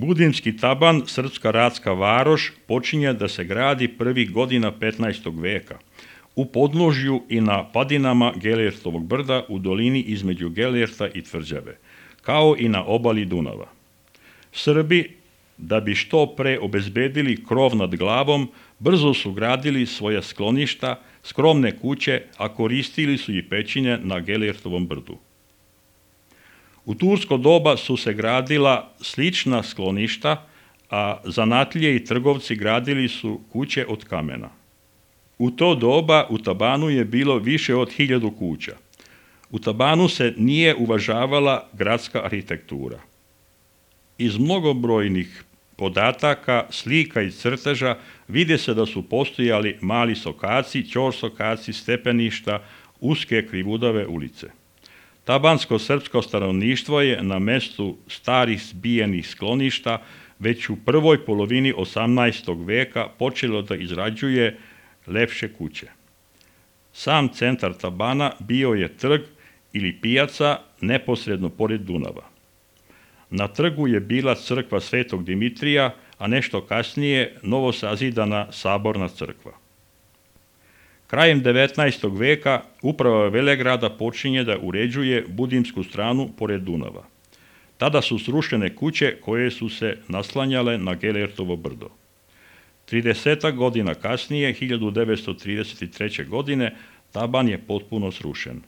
Budimski taban, srpska ratska varoš, počinje da se gradi prvih godina 15. veka u podnožju i na padinama Gelerstovog brda u dolini između Gelerta i Tvrđave, kao i na obali Dunava. Srbi, da bi što pre obezbedili krov nad glavom, brzo su gradili svoja skloništa, skromne kuće, a koristili su i pećine na Gelertovom brdu. U tursko doba su se gradila slična skloništa, a zanatlije i trgovci gradili su kuće od kamena. U to doba u tabanu je bilo više od 1000 kuća. U tabanu se nije uvažavala gradska arhitektura. Iz mnogobrojnih podataka, slika i crteža vide se da su postojali mali sokaci, ćorsokaci, stepeništa, uske krivudave ulice. Tabansko-srpsko stanovništvo je na mestu starih zbijenih skloništa već u prvoj polovini 18. veka počelo da izrađuje lepše kuće. Sam centar tabana bio je trg ili pijaca neposredno pored Dunava. Na trgu je bila crkva Svetog Dimitrija, a nešto kasnije novosazidana saborna crkva. Krajem 19. veka uprava Velegrada počinje da uređuje budimsku stranu pored Dunava. Tada su srušene kuće koje su se naslanjale na Gelertovo brdo. 30 godina kasnije, 1933. godine, taban je potpuno srušen.